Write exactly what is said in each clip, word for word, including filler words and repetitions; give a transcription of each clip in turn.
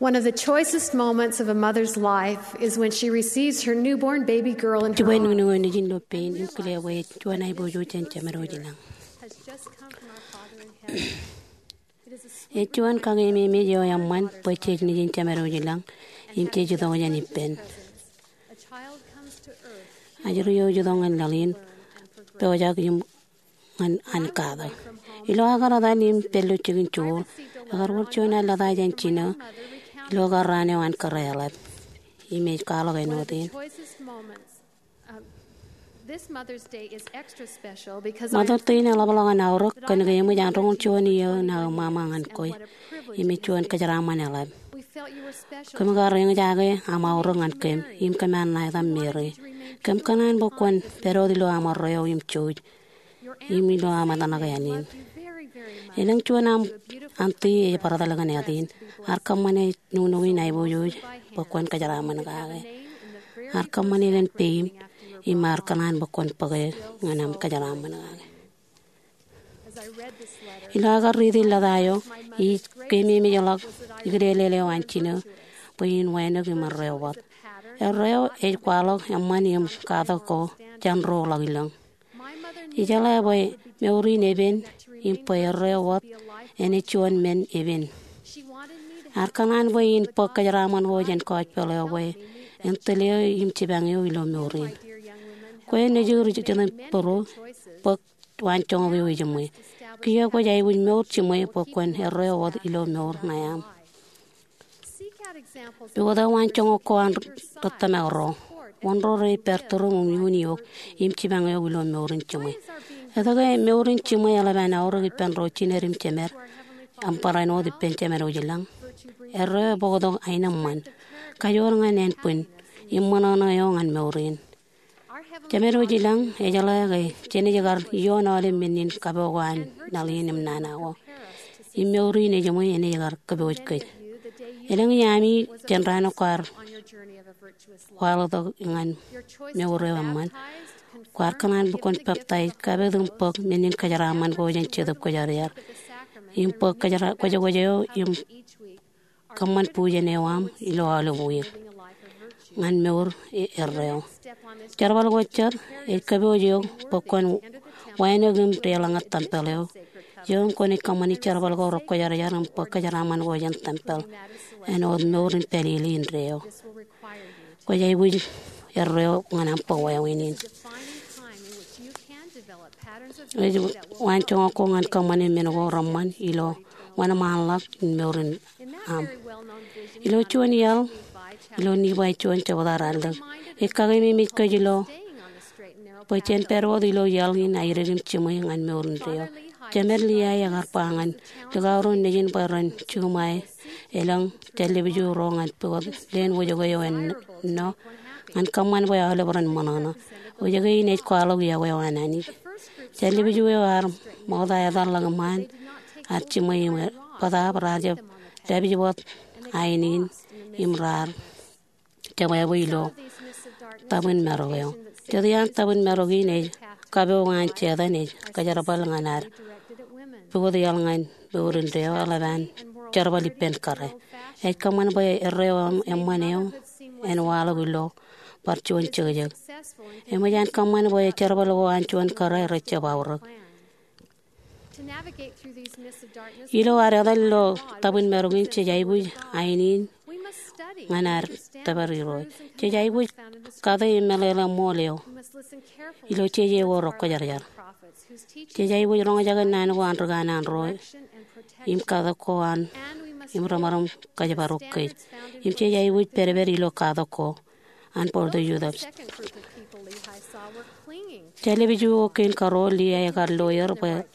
One of the choicest moments of a mother's life is when she receives her newborn baby girl in her Jibwe arms. Nuknuk eo nejin ilo pein im kile bwe ej juon aiboojoj jān jemedwōj ilañ. Has just come from our Father in heaven. Ej juon kakememej eo eṃṃan bwe jej nejin jemedwōj ilañ im jej itok jān ippān. A child comes to earth. Ajri eo ej itok ñan laḷ in pojak im ñan an katak. Ilo aō kar etal im pād ilo jikin joor, ekar wōr juon aō lōta jān jino ilo karraan eo an kōrā eḷap. Im ej kwaḷọk āinwōt in. Mother's Day in eḷapḷọk an aorōk kōn ke eṃōj an roñoul juon iiō ṇa eo ṃaṃa ñan kwe. Im ej juon kōjeraaṃṃan eḷap. Kōm kar eñjake aṃ aorōk ñan kōm, im kōm ar ṇa etaṃ Meri. Kōm kōṇaan bwe kwōn pād wōt ilo aṃ erreo im jouj im ilo aṃ etan ke āne in. Elōñ juon aṃ auntie ej bar etal kōn āt in. Ear kōṃṃane nuknuk in aiboojoj bwe kwōn kōjeraaṃṃan kake. Ear kōṃṃane kōn peim im ear kōṇaan bwe kwōn bōke ñan aṃ kōjeraaṃṃan kake. Ilo aō kar riiti lōta eo, ij keememejḷọk ikileelel eo an jino bwe in wānōk im erreo wōt. Erreo ej kwaḷọk eṃṃan im katak ko jān ro ḷọk ilōñ. Ijeḷā bwe mour in epen im bwe erreo wōt enaaj juon men epen. Ear kōṇaan bwe in bōk kōjeraaṃṃan ko jān gospel eo bwe en tōl eō im jipañ eō ilo mour in. Kwe nejū ri jitōnbōro, bōk waanjoñak eo ejiṃwe. Kiiō kwōj aikuj mour jiṃwe bwe kwōn erreo wōt ilo mour ṇae aṃ. Pukot aō waanjoñak ko an ri tōmak ro. Wōn ro rej pād turuṃ im iuun eok im jipañ eok ilo mour in jiṃwe? Etke mour in jiṃwe eḷap an aorōk ippān ro jined im jemed aṃ barāinwōt ippān jemedwōj ilañ? Erreo ebōktok aenōṃṃan, kajoor ñan ānbwin, im ṃōṇōṇō eo ñan mour in. Jemedwōj ilañ ejeḷā ke jenaaj kar ioon aolep men in kapo ko an laḷ in im nana ko. Im mour in ejiṃwe enaaj kar kōpooj kōj. Elōñ iaami jān raan eo kwaar waḷọktok ñan mour eo eṃṃan, kwaar kōṇaan bwe kwōn peptaij, kapit im bōk men in kōjeraaṃṃan ko jān Jetōb Kwōjarjar, im bōk kōjera-, kwōjkwōj eo im kōṃṃan bujen eo aṃ ilo aolep wiik ñan mour e-, erreo. Jerbal ko jet ej kōpooj eok bwe kwōn wānōk im deḷọñe tempel eo. Eo im kwōnaaj kōṃṃani jerbal ko rekwōjarjar im bōk kōjeraaṃṃan ko jān tempel āinwōt mour in pālele indeeo. Kwōj aikuj erreo ñan aṃ bōk wāween in. Ej waanjoñak ko ñan kōṃṃane men ko reṃṃan ilo wōnṃaanḷọk in mour in aṃ. Ilo juon iaḷ, ilo Nifai juon jebta ralitōk, ej kakememej kōj ilo bwe jen pād wōt ilo iaḷ in aerōk im jiṃwe ñan mour indeeo. Jemed Liai ekar ba ñan likao ro nejin bwe ren juṃae elōñ jān lipju ro ñan pukot leen wōjke eo ennọ ñan kōṃṃan bwe aolep ren ṃōṇōṇō. Wōjke in ej kwaḷọk yokwe eo an Anij. Jān lipju eo ear ṃokta etal ḷọk iṃaan, ear jiṃwe im bōtaab raar jab dāpij wōt ain in im raar jebwābwe ilo tabwin marok eo. Jet iaan tabwin marok in ej kapo ko an Setan ej kōjerbal ñan ad pukot iaḷ ñan mour indeeo eḷap an jerbal ippān kōrā. Ej kōṃṃan bwe erreo eṃṃan eo en waḷọk ilo bar juon jekjek. Eṃōj an kōṃṃan bwe jerbal ko an juon kōrā rej jab aorōk. Ilo ad etal ilo tabwin marok in jej aikuj ain in ñan ad tōpar Irooj. Jej aikuj kate im meḷeḷe ṃool eo ilo jeje ko rekwōjarjar. Jej aikuj roñjake naan ko an ri kanaan ro im katak ko an im remaram kōjparok kōj. Im jej aikuj pedped ilo katak ko an Board of Youth of Jān lipju ko kein karuo, Liai ekar lo er bwe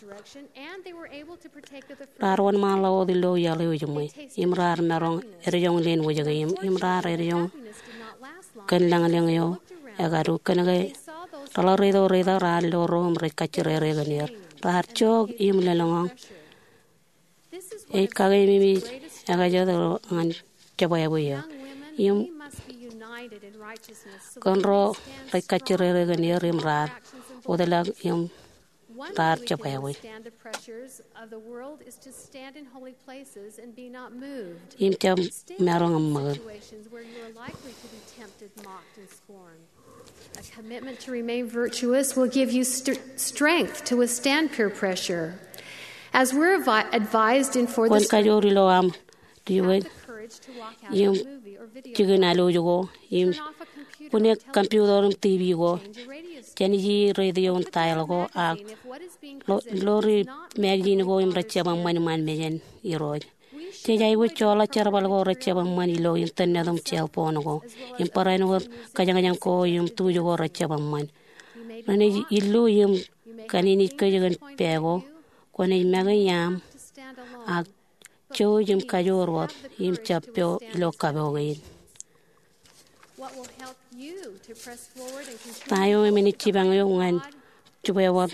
raar wōnṃaanḷọk wōt ilo iaḷ eo ejiṃwe im raar maroñ edjoñ leen wōjke im, im raar edjoñ kōn lañlōñ eo ekadu kōnke reḷak reitok reitak raar lo ro im rej kajjirere kōn er. Raar jook im lōḷñọñ. Ej kakememej ekajet eo ñan jebwābwe eo. Im kōn ro rej kajjirere kōn er im raar wōtlọk im raar jab ewōj. Im jab maroñ im ṃōk. A commitment to remain virtuous will give you st- strength to withstand peer pressure. As we're advi- advised in For the Kwōn kajoor ilo aṃ diwōj im jikin alwōj ko im bwine computer im TV ko, jān ij radio im dial ko ak lo- lori magazine ko im rejjab eṃṃan iṃaan mejān Irooj. Jej aikuj joḷọk jerbal ko rejjab eṃṃan ilo internet im cell phone ko im barāinwōt wōt kōjañjañ ko im tuj ko rejjab eṃṃan. Renaaj illu im kaninikkōj kōn pā ko. Kwōnaaj make iaam ak jouj im kajoor wōt im jab po ilo kapo kein. Ta eo enaaj jipañ eok ñan jibwe wōt?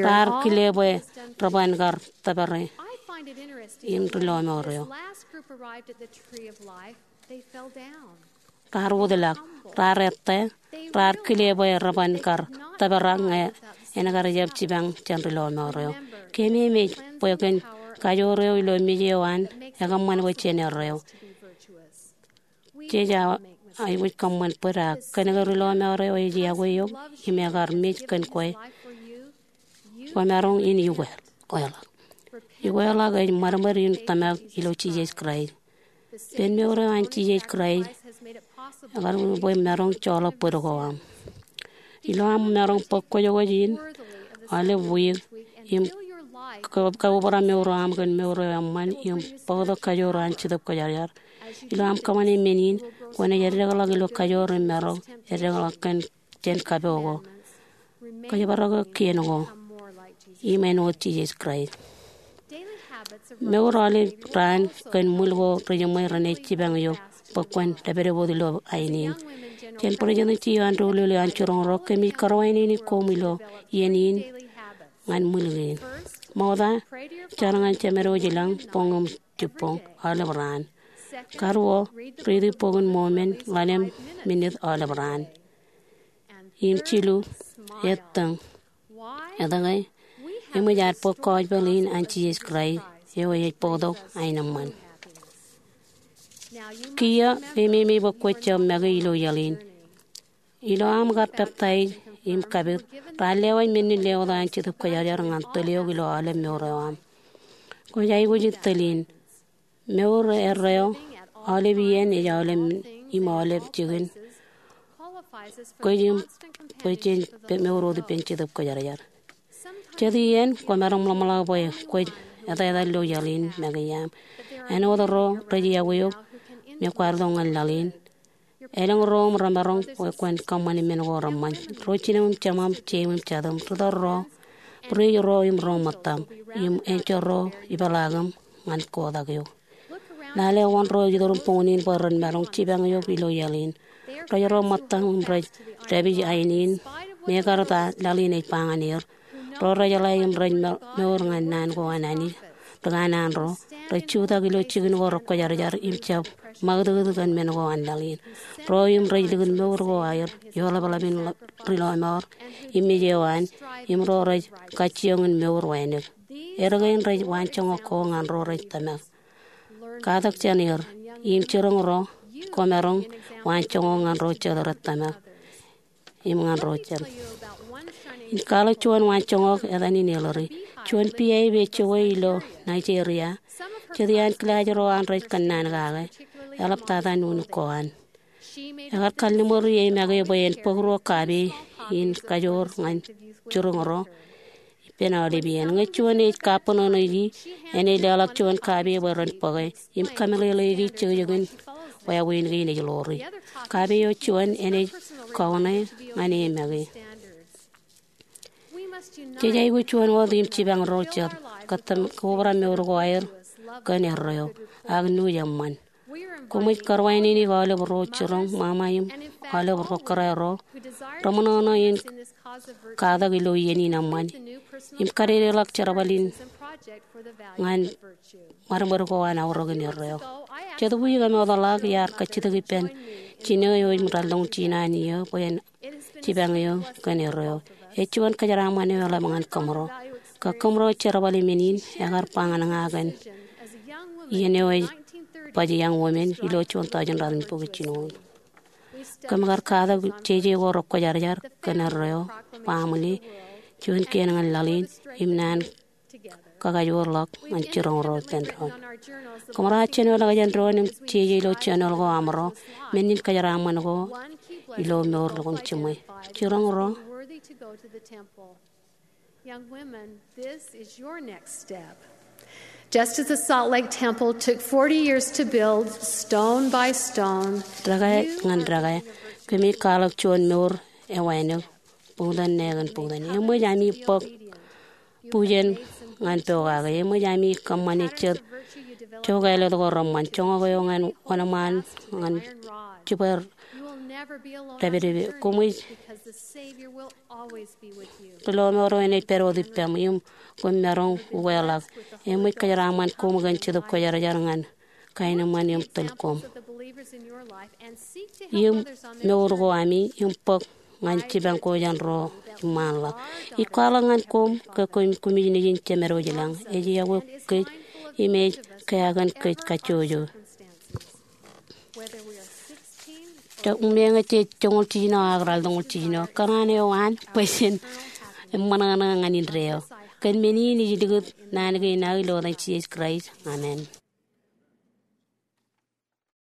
Raar kile bwe reban kar tōpare im ri-lọmọọr eo. Raar wōtlọk, raar ettā, raar kile bwe reban kar tōpare ñe en kar jab jipañ jān ri-lọmọọr eo. Kememej bwe kōn kajoor eo ilo mej eo an, ekōṃṃan bwe jen erreo. Jej aikuj kōṃṃan bōd ak kōnke ri-lọmọọr eo ej yokwe eok im ekar mej kōn kwe, kwōmaroñ in ukeḷọk. Ukeḷọk ej ṃadṃōd in tōmak ilo Jisōs Kraist. Ippān mour eo an Jisōs Kraist ekar bwe maroñ joḷọk bōd ko aṃ. Ilo aṃ maroñ bōk kwōjkwōj in aolep wiik im ka- kaubara mour eo aṃ kōn mour eo eṃṃan im bōktok kajoor an Jetōb Kwōjarjar. Ilo aṃ kōṃṃane men in, kwōnaaj eddekḷọk ilo kajoor im maroñ eddekḷọk kōn jān kapo ko, kōjparok kien ko, im āinwōt Jisōs Kraist. Mour aolep raan kōn ṃwil ko rejiṃwe renaaj jipañ eok bwe kwōn dāpdep wōt ilo ain in. Jān President John Doolittle an jiroñ ro, kōmij karuwainene koṃ ilo iien in ñan ṃwil kein. Ṃokta, jar ñan Jemedwōj i lañ boñ im jibboñ aolep raan. Karuo, riiti Bok in Mormon ḷalem minit aolep raan. Im jilu, ettōñ. Etke? Eṃōj ad bōk gospel in an Jisōs Kraist eo ej bōktok aenōṃṃan. Kiiō, kememej bwe kwōj jab make ilo iaḷ in. Ilo aṃ kar peptaij im kapit, raar lewōj men in lewōt an Jetōb Kwōjarjar ñan tōl eok ilo aolep mour eo aṃ. Kwōj aikuj in tōl in. Mour erreo aolep iien ej aolep im aolep jikin kwōj im bwe jen mour wōt ippān Jetōb Kwōjarjar. Jet iien kwōmaroñ ḷōmṇak bwe kwōj etetal ilo iaḷ in make iaam. Āinwōt ro rej yokwe eok me kwaar itok ñan laḷ in. Elōñ ro im remaroñ bwe kwōn kōṃṃane men ko reṃṃan. Ro jinem im jemām, jeim im jatūm, ri-tōl ro, bwidej ro im ro ṃōttaṃ, im enjeḷ ro ipeḷaakim ñan kotak eok. Lale wōn ro iturin boñin in bwe ren maroñ jipañ eok ilo iaḷ in. Rej ro ṃōttaṃ im rej dāpij ain in, mekarta laḷ in ej ba ñan er. Ro rej jeḷā im rej mour ñan naan ko an Anij. Ri kanaan ro rej jutak ilo jikin ko rekwōjarjar im jab ṃakūtkūt kōn men ko an laḷ in. Ro im rej likin mour ko aer ioḷapḷap in ri-lọmọọr im mej eo an, im ro rej kajjioñ in mour wānōk. Erkein rej waanjoñak ko ñan ro rej tōmak. Katak jān er, im jiroñ ro, kwōmaroñ waanjoñak ñan ro jet rej tōmak im ñan ro jet. Ij kwaḷọk juon waanjoñak etan in eḷari. Juon pia ej jokwe ilo Nigeria. Jet iaan kilaaj ro an rej kōnnaan kake, eḷaptata nuknuk ko an. Ekar kalliṃur ie make bwe en bōk ruo kape in kajoor ñan jiroñ ro ippān aolep iien. Ñe juon ej kabbōnono ie, enaaj leḷọk juon kape bwe ren bōke im kameḷeḷeiki jekjekin wāween kein ej ḷoori. Kape eo juon enaaj kaune ñan e make. Jej aikuj juon wōt im jipañ ro jet, kōttam kobrak mour ko aer kōn erreo ak nuuj eṃṃan. Koṃij karuwainene aolep ro jiroñ ṃaṃa im aolep ro kōrā ro reṃōṇōṇō in katak ilo iien in eṃṃan im kadedeḷọk jerbal in ñan ṃadṃōd ko an aorōk in erreo. Jetōb wiik eṃootḷọk iar kajjitōk ippān jinō eo ej raltok jiljino an iiō bwe en jipañ eō kōn erreo. Ej juon kōjeraaṃṃan eo eḷap ñan kōṃro. Ke kōṃro ej jerbal im men in, ekar ba ñan ña kōn iien eo ej baj Young Women ilo juon taujin ratimjuon bokjān jinoin. Kōm kar katak jeje ko rekwōjarjar kōn erreo, baaṃle, juon kien ñan laḷ in, im naan kakajoor ḷọk ñan jiroñ ro ippān doon. Kōmro ar jenoḷọk jān doon im jeje ilo journal ko aṃro, men in kōjeraaṃṃan ko ilo mour lukkuun jiṃwe. Jiroñ ro. Young women, this is your next step. Just as the Salt Lake Temple took forty years to build, stone by stone, dekā ñan dekā, kōmij kwaḷọk juon mour ewānōk, buñtōn ṇe kōn buñtōn. Eṃōj ami bōk bujen ñan pokake. Eṃōj ami kōṃṃane jet jokālōt ko reṃṃan, joñak eo ñan wōnṃaan ñan jibwe dāpdep. Koṃij ri lọmọọr eo enaaj pād wōt ippām im koṃ maroñ ukeḷọk. Eṃōj kōjeraaṃṃan koṃ kōn Jetōb Kwōjarjar ñan kaenōṃṃan im tōl koṃ im mour ko ami im bōk ñan jipañ ko jān ro eṃṃanḷọk. Ij kwaḷọk ñan koṃ ke koṃij nejin jemed wōj lañ. Ej iọkwe kōj im ej kea kōn kōj kajjojo. Eṃṃan ke jej joñoul jiljino ak ralitōñoul jiljino, kōṇaan eo an bwe jen eṃṃanṃan ñan indeeo. Kōn men in ij likūt naan kein ilo etan Jisōs Kraist, amen.